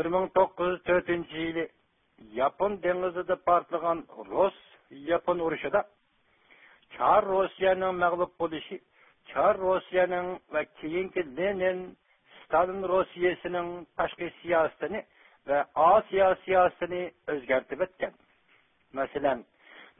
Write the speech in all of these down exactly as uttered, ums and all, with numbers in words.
بىر مىڭ توققۇز يۈز تۆتىنچى يىلى ياپون دېڭىزىدا پارتلىغان رۇس-ياپون ئۇرۇشىدا چار روسىيەنىڭ مەغلۇپ بولۇشى چار روسىيەنىڭ ۋە كېيىنكى لېنىن، ستالىن روسىيەسىنىڭ تاشقى سىياسىتىنى ۋە ئاسىيا سىياسىتىنى ئۆزگەرتىۋەتكەن. مەسىلەن،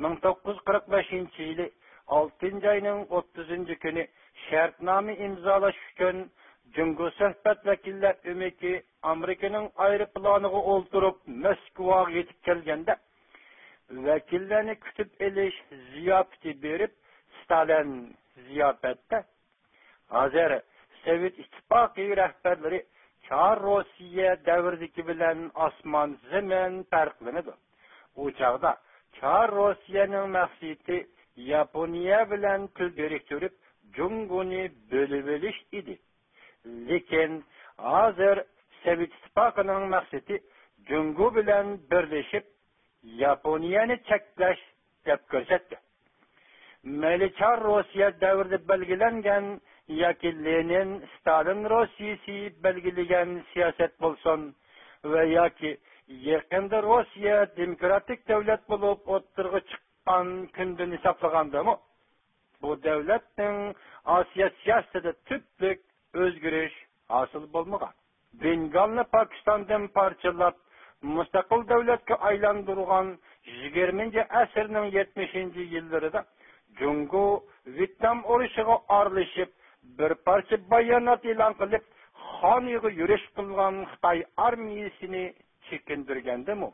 مىڭ توققۇز يۈز قىرىق بەشىنچى يىلى ئالتىنچى ئاينىڭ ئوتتۇزىنچى كۈنى شەرتنامە ئىمزالاش ئۈچۈن جۇڭگو سۆھبەت ۋەكىللەر ئۆمىكى ئامېرىكىنىڭ ئايروپىلانىغا ئولتۇرۇپ مەسكۇۋاغا يېتىپ كەلگەندە، ۋەكىللەرنى كۈتۈپ ئېلىش زىياپىتى بېرىپ، ستالىن زىياپەتتە ھازىر سوۋېت ئىتتىپاقى رەھبەرلىرى چار روسىيە دەۋرىدىكى بىلەن ئاسمان زېمىن پەرقلىنىدۇ. ئۇ چاغدا چار روسىيەنىڭ مەقسىتى ياپونىيە بىلەن تىل بىرىكتۈرۈپ، جۇڭگونى بۆلۈۋېلىش ئىدى. لېكىن ھازىر سوۋېت ئىتتىپاقىنىڭ مەقسىتى جۇڭگو بىلەن بىرلىشىپ، ياپونىيەنى چەكلەش دەپ كۆرسەتتى. مەيلى چار روسىيە دەۋرىدە بەلگىلەنگەن ياكى لېنىن، ستالىن روسىيىسى بەلگىلىگەن سىياسەت بولسۇن ۋە ياكى يېقىندا روسىيە دېموكراتىك دۆلەت بولۇپ ئوتتۇرىغا چىققان كۈندىن ھېسابلىغاندىمۇ، بۇ دۆلەتنىڭ ئاسىيا سىياسىتىدە تۈپلۈك ئۆزگىرىش ھاسىل بولمىغان. بېنگالنى پاكىستاندىن پارچىلاپ، مۇستەقىل دۆلەتكە ئايلاندۇرغان يىگىرمىنچى ئەسىرنىڭ يەتمىشىنچى يىللىرىدا جۇڭگو ۋيېتنام ئۇرۇشىغا ئارىلىشىپ، بىر پارچە بايانات ئېلان قىلىپ، خانىيغا يۈرۈش قىلغان خىتاي ئارمىيىسىنى چېكىندۈرگەندىمۇ،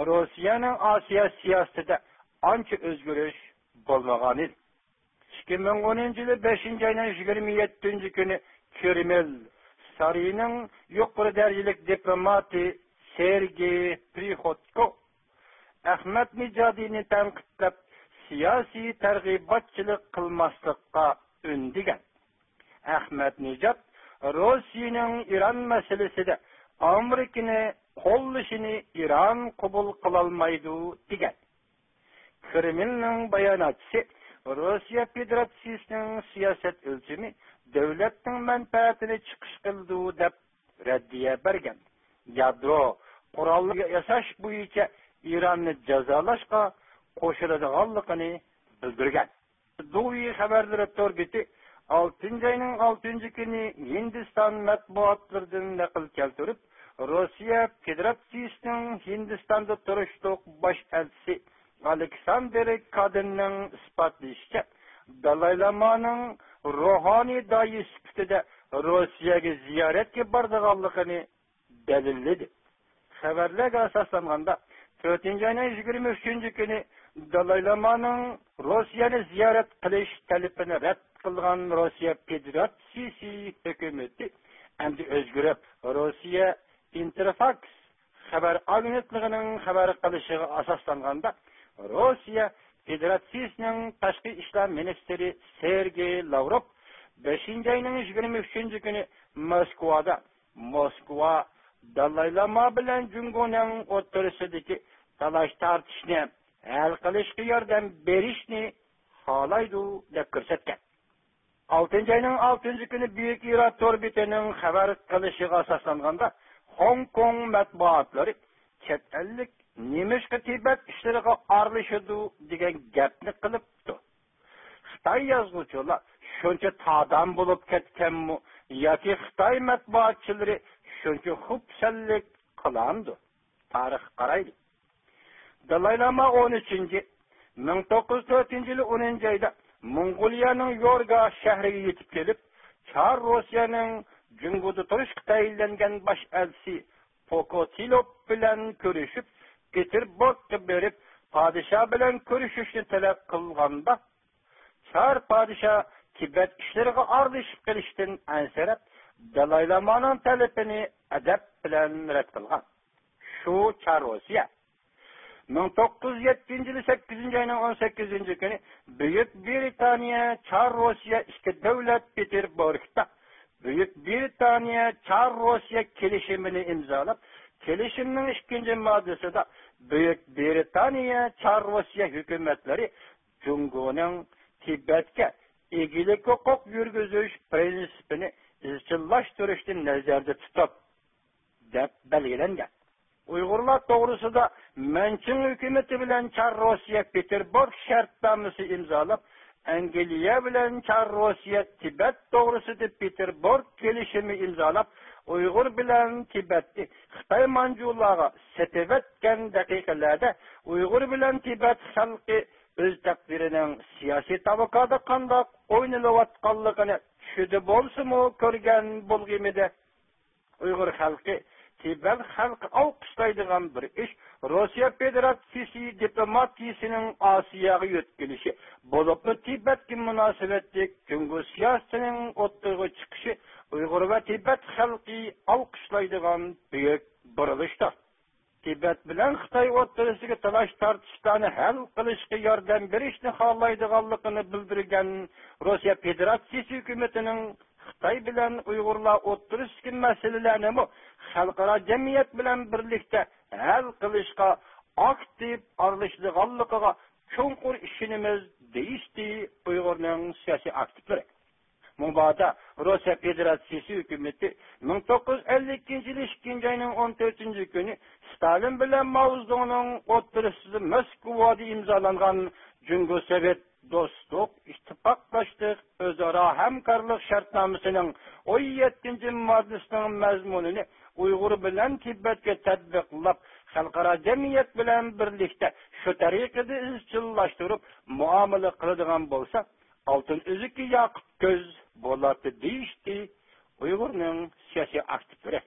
روسىيەنىڭ ئاسىيا سىياسىتىدە ئانچە ئۆزگىرىش بولمىغانىدى. ئىككى مىڭ ئونىنچى يىلى بەشىنچى ئاينىڭ يىگىرمە يەتتىنچى كۈنى كرېمىل سارىيىنىڭ يۇقىرى دەرىجىلىك دىپلوماتى سېرگېي پرىخودكو ئەخمەتنىژادىنى تەنقىدلەپ، سىياسىي تەرغىباتچىلىق قىلماسلىققا ئۈندىگەن. ئەخمەتنىژاد روسىيەنىڭ ئىران مەسىلىسىدە ئامېرىكىنى قوللىشىنى ئىران قوبۇل قىلالمايدۇ، دېگەن. كرېملنىڭ باياناتچىسى روسىيە فېدېراتسىيىسىنىڭ سىياسەت ئۆلچىمى دۆلەتنىڭ مەنپەئەتىنى چىقىش قىلىدۇ، دەپ رەددىيە بەرگەن. يادرو قورالى ياساش بويىچە ئىراننى جازالاشقا قوشۇلىدىغانلىقىنى بىلدۈرگەن. دوۋي خەۋەرلىرى تور بېتى ئالتىنچى ئاينىڭ ئالتىنچى كۈنى ھىندىستان مەتبۇئاتلىرىدىن نەقىل كەلتۈرۈپ، روسىيە فېدېراتسىيىسىنىڭ ھىندىستاندا تۇرۇشلۇق باش ئەلچىسى ئالېكساندىر كادىننىڭ ئىسپاتلىشىچە، دالاي لامانىڭ روھانىي داھىي سۈپىتىدە روسىيەگە زىيارەتكە بارىدىغانلىقىنى دەلىللىدى. خەۋەرلەرگە ئاساسلانغاندا، تۆتىنچى ئاينىڭ يىگىرمە ئۈچىنچى كۈنى دالاي لامانىڭ روسىيەنى زىيارەت قىلىش تەلىپىنى رەت قىلغان روسىيە فېدېراتسىيىسى ھۆكۈمىتى ئەمدى ئۆزگىرىپ، روسىيە ئىنتېرفاكس خەۋەر ئاگېنتلىقىنىڭ خەۋەر قىلىشىغا ئاساسلانغاندا، روسىيە فېدېراتسىيىسىنىڭ تاشقى ئىشلار مىنىستىرى سېرگېي لاۋروف بەشىنچى ئاينىڭ يىگىرمە ئۈچىنچى كۈنى موسكۋادا موسكۋا دالاي لاما بىلەن جۇڭگونىڭ ئوتتۇرىسىدىكى تالاش تارتىشنى ھەل قىلىشقا ياردەم بېرىشنى خالايدۇ، دەپ كۆرسەتكەن. ئالتىنچى ئاينىڭ ئالتىنچى كۈنى بۈيۈك ئىران تور بېتىنىڭ خەۋەر قىلىشىغا ئاساسلانغاندا، خوڭكوڭ مەتبۇئاتلىرى چەت ئەللىك نېمىشقا تىبەت ئىشلىرىغا ئارىلىشىدۇ، دېگەن گەپنى قىلىپتۇ. خىتاي يازغۇچىلار شۇنچە تادام بولۇپ كەتكەنمۇ ياكى خىتاي مەتبۇئاتچىلىرى شۇنچە خۇپسەنلىك قىلامدۇ؟ تارىخقا قارايلى. دالاي لاما ئون ئۈچىنچى، مىڭ توققۇز يۈز تۆتىنچى يىلى ئونىنچى ئايدا موڭغۇلىيەنىڭ يورگا شەھىرىگە يېتىپ كېلىپ، چار روسىيەنىڭ جۇڭگودا تۇرۇشقا تەيىنلەنگەن باش ئەلچىسى پوكوتىلوف بىلەن كۆرۈشۈپ، پېتېربۇرگقا بېرىپ، پادىشاھ بىلەن كۆرۈشۈشنى تەلەپ قىلغاندا، چار پادىشاھ تىبەت ئىشلىرىغا ئارىلىشىپ قېلىشتىن ئەنسىرەپ، دالاي لامانىڭ تەلىپىنى ئەدەپ بىلەن رەت قىلغان. شۇ چار روسىيە. مىڭ توققۇز يۈز يەتتىنچى يىلى سەككىزىنچى ئاينىڭ ئون سەككىزىنچى كۈنى بۈيۈك برىتانىيە، چار روسىيە ئىككى دۆلەت پېتېربۇرگدا بۈيۈك برىتانىيە، چار روسىيە كېلىشىمىنى ئىمزالاپ، كېلىشىمنىڭ ئىككىنچى ماددىسىدا بۈيۈك برىتانىيە، چار روسىيە ھۆكۈمەتلىرى جۇڭگونىڭ تىبەتكە ئىگىلىك ھوقۇق يۈرگۈزۈش پىرىنسىپىنى ئىزچىللاشتۇرۇشنى نەزەردە تۇتۇپ، دەپ بەلگىلەنگەن. ئۇيغۇرلار توغرىسىدا مەنچىڭ ھۆكۈمىتى بىلەن چار روسىيە پېتېربۇرگ شەرتنامىسى ئىمزالاپ، ئەنگلىيە بىلەن چار روسىيە تىبەت توغرىسىدا پېتېربۇرگ كېلىشىمى ئىمزالاپ، ئۇيغۇر بىلەن تىبەتنى خىتاي مانجۇلارغا سېتىۋەتكەن دەقىقىلەردە، ئۇيغۇر بىلەن تىبەت خەلقى ئۆز تەقدىرىنىڭ سىياسىي تاۋاكادا قانداق ئوينىلىۋاتقانلىقىنى چۈشىدە بولسىمۇ كۆرگەن بولغىيمىدى. ئۇيغۇر خەلقى، تىبەت خەلقى ئالقىشلايدىغان بىر ئىش روسىيە فېدېراتسىيىسى دىپلوماتىيىسىنىڭ ئاسىياغا يۆتكىلىشى، بولۇپمۇ تىبەتكە مۇناسىۋەتلىك جۇڭگو سىياسىتىنىڭ ئوتتۇرىغا چىقىشى ئۇيغۇر ۋە تىبەت خەلقى ئالقىشلايدىغان بۈيۈك بۇرۇلۇشتۇر. تىبەت بىلەن خىتاي ئوتتۇرىسىدىكى تالاش-تارتىشلارنى ھەل قىلىشقا ياردەم بېرىشنى خالايدىغانلىقىنى بىلدۈرگەن روسىيە فېدېراتسىيىسى ھۆكۈمىتىنىڭ خىتاي بىلەن ئۇيغۇرلار ئوتتۇرىسىدىكى مەسىلىلەرنىمۇ خەلقئارا جەمئىيەت بىلەن بىرلىكتە ھەل قىلىشقا ئاكتىپ ئارىلىشىدىغانلىقىغا چوڭقۇر ئىشىنىمىز، دېيىشتى ئۇيغۇرنىڭ سىياسىي ئاكتىپلىرى. مۇبادا روسىيە فېدېراتسىيىسى ھۆكۈمىتى مىڭ توققۇز يۈز ئەللىك ئىككىنچى يىل ئىككىنچى ئاينىڭ ئون تۆتىنچى كۈنى ستالىن بىلەن ماۋزېدۇڭنىڭ ئوتتۇرىسىدا مەسكۇۋادا ئىمزالانغان جۇڭگو سوۋېت دوستلۇق، ئىتتىپاقداشلىق، ئۆزئارا ھەمكارلىق شەرتنامىسىنىڭ ئون يەتتىنچى ماددىسىنىڭ مەزمۇنىنى ئۇيغۇر بىلەن تىبەتكە تەتبىقلاپ، خەلقئارا جەمئىيەت بىلەن بىرلىكتە شۇ تەرىقىدە ئىزچىللاشتۇرۇپ مۇئامىلە قىلىدىغان بولسا، ئالتۇن ئۈزۈكى ياقۇت كۆز بولاتتى، دېيىشتى ئۇيغۇرنىڭ سىياسىي ئاكتىپلىرى.